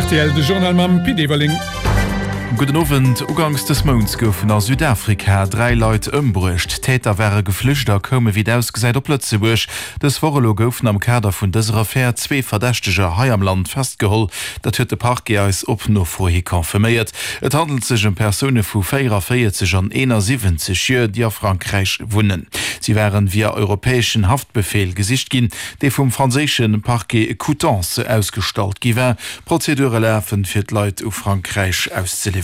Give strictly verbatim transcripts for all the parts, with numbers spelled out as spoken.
rtl, de Journal mam Pit Everling. Gudden Owend. Uganks des Mounts goufen a Südafrika dräi Leit ëmbruecht. D'Täter ware geflücht a koume wéi et ausgesäit op Lëtzebuerg. Dës Woch elo goufen am Kader vun dëser Affär zwee Verdächteger hei am Land festgeholl. Dat huet de Parquet eis op Nofro hi confirméiert. Et handelt sech ëm Persoune vu véieranvéierzeg an eenasiwwenzeg Joer, déi a Frankräich wunnen. Si waren via europäeschen Haftbefeel gesicht ginn, dee vum franséische Parquet Coutances ausgestallt gi war. Prozedure lafen, fir d'Leit u Frankräich auszeliwweren.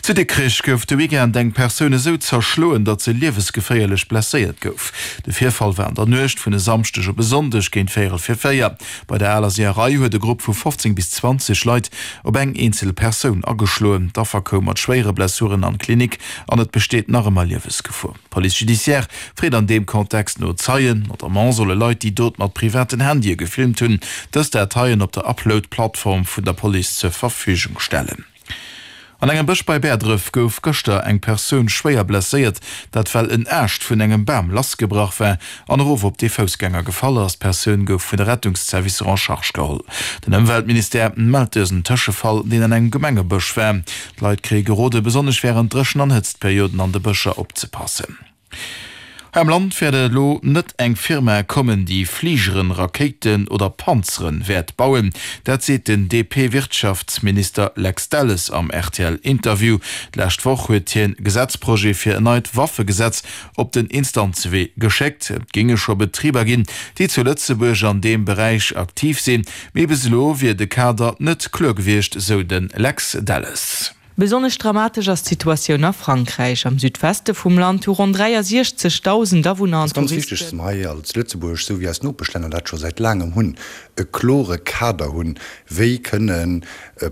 Zu Dikrech gouf de Weekend eng Persoun esou zerschloen, datt se liewesgeféierlech blesséiert gouf. De Virfall war an der Nuecht vun e Samschdeg op e Sonndeg géint véierel vir véier. Bei der Aler Seeërei huet e Grupp vu fofzéng bis zwanzeg Leit op eng eenzel Persoun ageschloen. D'Affer koum mat schwéiere Blessuren an d'Klinik an et besteet nach ëmmer Liewesgefor. D'Police judiciaire freet an deem Kontext no Zeien. Notamment solle Leit, déi d'Dot mat privaten Handye gefilmt hunn, dës Dateien op der Upload-Plattform vun der Police zur Verfügung stellen. An engem Bësch bei Bäerdref gouf gëschter eng Persoun schwéier blesséiert, dat well en Aascht vun engem Bam lassgebrach war an erof op dee Foussgänger gefall ass. D'Persoun gouf vun de Rettungszervicer en charge geholl. Den Ëmweltministère mellt dësen Tëschefall, deen an engem Gemengebësch war. D'Leit kréie gerode besonnesch wärend Dréchen an Hëtztperioden an de Bëscher opzepassen. Hei am Land wäert elo net eng Firma kommen, déi Fligeren, Rakéiten oder Panzeren wäert bauen. Dat seet den D P-Wirtschaftsminister Lex Delles am R T L-Interview. D'lescht Woch huet hien Gesetzprojet fir en neit Waffegesetz op den Instanzewee geschéckt. Et géinge scho Betriber ginn, déi zu Lëtzebuerg an deem Beräich aktiv sinn, mee bis elo wier de Kader net kloer gewiescht, sou de Lex Delles. Besonnesch dramatesch ass d'Situatioun a Frankräich. Am Südweste vum Land hu ronn dräiasiechzegdausend Awunner Et an ass ganz wichteg, Touristen. dass mer hei als Lëtzebuerg, esou wéi eis Nopeschlänner dat scho säit laangem hunn, e klore Kader hunn, wéi kënne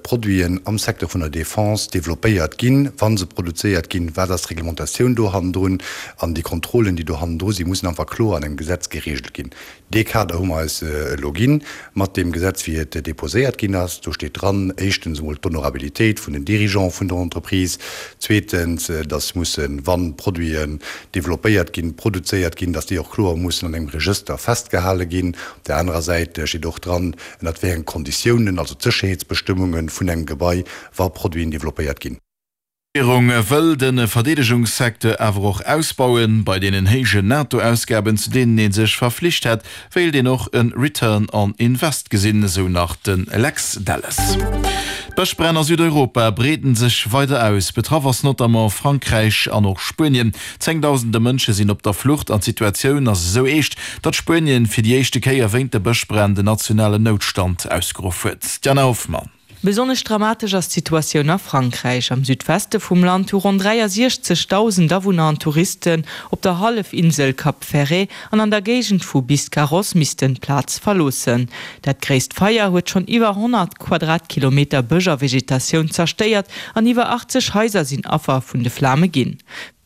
Produiten am Secteur vun der Defense développéiert ginn, wa se produzéiert ginn, wat ass d'Reglementatioun do hannendrun, an déi Kontrollen, déi do hannendru sinn, mussen einfach kloer an engem Gesetz geregelt ginn. Dee Kader hu mer eis elo ginn mat deem Gesetz, wéi et deposéiert ginn ass. Do steet dran, éischtens emol d'Honorabilitéit vun den Dirigeants vun der Entreprise, zweetens, dass mussen, wa Produiten developpéiert ginn, produzéiert ginn, dass déi och kloer mussen an engem Regëster festgehale ginn. Op där anerer Säit steet och dran, ënnert wéi enge Konditiounen, also d'Sécherheetsbestëmmunge vun engem Gebai, wa Produiten developpéiert ginn. D'Regierung wëll de Verdeedegungssecteur awer och ausbauen. Bei deenen héijen NATO-Ausgaben, zu deenen ee sech verflicht hätt, wéilt een och e Return on Invest gesinn, esou nach de Lex Delles. D'Bëschbränn a Südeuropa breeden sech weider aus. Betraff ass notamment Frankräich an och Spuenien. Zéngdausende Mënsche sinn op der Flucht an d'Situatioun ass esou eescht, datt Spuenien fir déi éischte Kéier wéint de Bëschbränn den nationalen Noutstand ausgeruff huet. D'Jana Hoffmann. Besonnesch dramatesch ass d'Situatioun a Frankräich. Am Südweste vum Land hu ronn dräiasiechzegdausend Awunner an Touristen op der Hallefinsel Cap Ferret an an der Géigend vu Biscarrosse missten d'Plaz verloossen. Dat gréisst Feier huet schonn iwwer honnert Quadratkilometer Bësch a Vegetatioun zerstéiert an iwwer achtzeg Haiser sinn Affer vun de Flame ginn.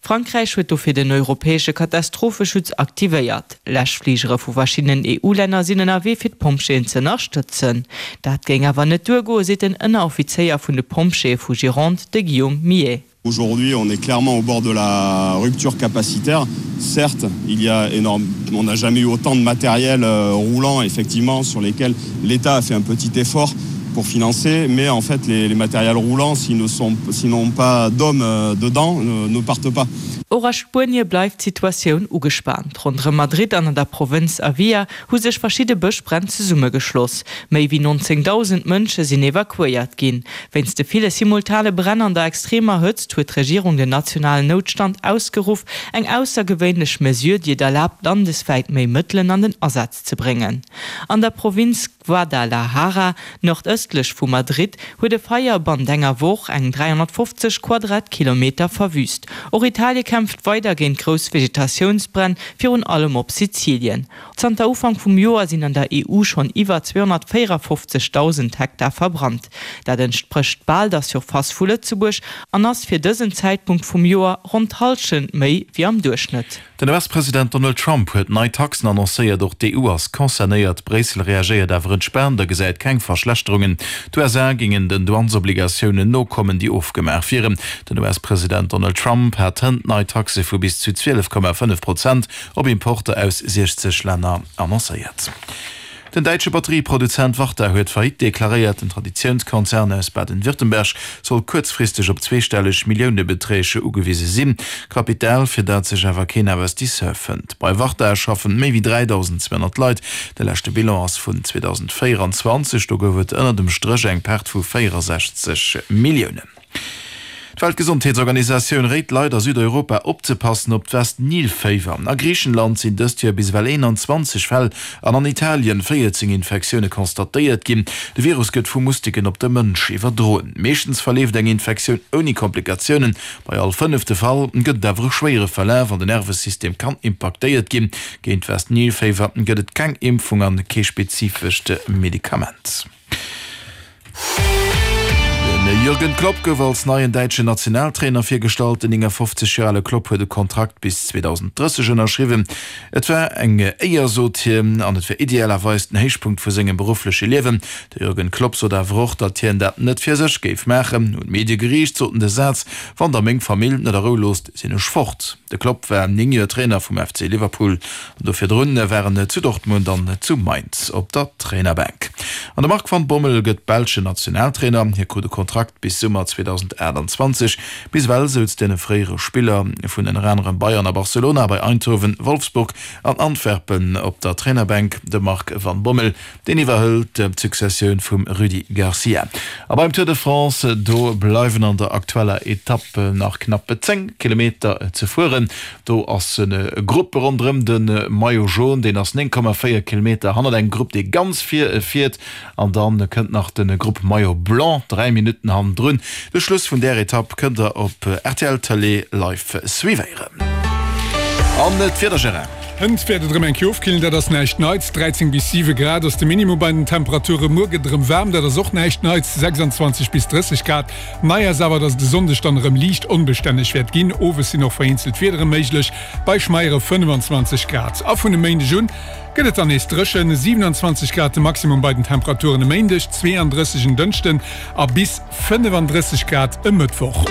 Frankräich huet dofir den europäesche Katastropheschutz aktivéiert. Läschfligere vu verschiddenen E U-Länner sinn ënnerwee fir d'Pompjeeën ze ënnerstëtzen. Dat géing awer net duergoen, seet den Ënneroffizéier vun de Pompjeeë vu Gironde, de Guillaume Millet. Aujourd'hui, on est clairement au bord de la rupture capacitaire. Certes, il y a énorme, on n'a jamais eu autant de matériel euh, roulant, effectivement, sur lesquels l'État a fait un petit effort pour financer, mais en fait, les, les matériels roulants, s'ils ne sont, s'ils n'ont pas d'hommes euh, dedans, ne, ne partent pas. Och a Spuenie bleift d'Situatioun ugespaant. Ronderëm Madrid an an der Provënz Avia hu sech verschidde Bëschbränn zesummegeschloss. Méi wéi nonzéngdausend Mënsche sinn evakuéiert ginn. Wéinst de ville simultane Bränn an der extremer Hëtzt huet d'Regierung den nationalen Noutstand ausgeruff, eng aussergewéinlech Mesure, déi et erlaabt, landeswäit méi Mëttelen an den Asaz ze bréngen. An der Provënz Guadalajara, nordëstlech vu Madrid, huet e Feier bannent enger Woch eng dräihonnertfofzeg Quadratkilometer verwüüst. Och Italie kämpft weider géint grouss Vegetatiounsbränn, virun allem op Sizilien. Zanter Ufank vum Joer sinn an der E U schonn iwwer zweehonnertvéierafofzegdausend Hektar verbrannt. Dat entsprécht bal der Surface vu Lëtzebuerg an ass fir dësen Zäitpunkt vum Joer ronn d'Hallschent méi wéi am Duerchschnëtt. Den U S-President Donald Trump huet nei Taxen annoncéiert, och d'E U ass concernéiert. Bréissel reagéiert awer entspaant a gesäit keng Verschlechterungen. D'U S A géingen den Douanesobligatiounen nokommen, déi ofgemaach wieren. Den U S-President Donald Trump hat hënt nei Taxe vu bis zu zwielef Komma fënnef Prozent op Importer aus siechzeg Länner annoncéiert. Den däitsche Batterieproduzent Varta huet Faillite deklaréiert. Den Traditiounskonzern aus Baden-Württemberg soll kuerzfristeg op zweestelleg Milliounebeträg ugewise sinn. Kapital, fir dat sech awer keen Investisseur fënnt. Bei Varta schaffen méi wéi dräidausend zweehonnert Leit. De leschte Bilan ass vun zweedausendvéierenzwanzeg, do gouf et ënner dem Stréch eng Perte vu véierensechzeg Milliounen. D'Weltgesondheetsorganisatioun réit Leit a Südeuropa opzepassen op d'West-Nil-Féiwer. A Griichenland sinn dëst Joer bis ewell eenanzwanzeg Fäll an an Italien véierzéng Infektioune constatéiert ginn. De Virus gëtt vu Musteken op de Mënsch iwwerdroen. Meeschtens verleeft eng Infektioun ouni Komplikatiounen. Bei all fënnefte Fall gëtt et awer e schwéiere Verlaf an den Nervesystem kann impaktéiert ginn. Géint d'West-Nil-Féiwer gëtt et keng Impfung an kee spezifescht Medikament. Den Jürgen Klopp gouf als neien däitschen Nationaltrainer virgestallt. Den néngafofzeg Joer ale Klopp huet e Kontrakt bis zweedausendrësseg ënnerschriwwen. Et war eng Éier, sot hien, an et wär idealerweis den Héichpunkt vu sengem beruffleche Liewen. De Jürgen Klopp sot awer och, datt hien dat net fir sech géif maachen. Un d'Medie geriicht sot en de Saz, Wann der meng Famill net a Rou loosst, sinn ech fort. De Klopp war néng Joer Trainer vum F C Liverpool an do virdrun war en zu Dortmund an zu Mainz op der Trainerbänk. An de Marc van Bommel gëtt belschen Nationaltrainer. Hie krut e Kontrakt bis Summer zweedausendaachtanzwanzeg. Bis ewell souz den fréiere Spiller vun ënner anerem Bayern a Barcelona bei Eindhoven, Wolfsburg an Antwerpen op der Trainerbänk. De Marc van Bommel, deen iwwerhëlt d'Successioun vum Rudi Garcia. A beim Tour de France, do bleiwen an der aktueller Etapp nach knapp zéng Kilometer ze fueren. Do ass e Grupp ronderëm de Maillot Jaune, deen ass néng Komma véier Kilometer hannert engem Grupp, dee ganz vir fiert. An da kënnt nach de Grupp Maillot Blanc dräi Minutten hannendrun. De Schluss vun där Etapp kënnt der op R T L Tëlee live suivéieren. An d'Wieder, Gérard? Hënt wäert et erëm eng Kéier ofkillen, dat ass näischt Neits. dräizéng bis siwe Grad ass de Minimum bei den Temperature. Muer gëtt et erëm waarm, dat ass och näischt Neits, sechsanzwanzeg bis drësseg Grad. Nei ass awer, dass et e Sonndeg dann erëm liicht onbestänneg wäert ginn. Owes sinn och vereenzelt Wiedere méiglech, bei schmeiere fënnefenzwanzeg Grad. A vun e Méindeg un gëtt et dann nees dréchen, siewenundzwanzeg Grad de Maximum bei den Temperaturen e Méindeg, zweeandrësseg en Dënschden a bis fënnefandrësseg Grad e Mëttwoch.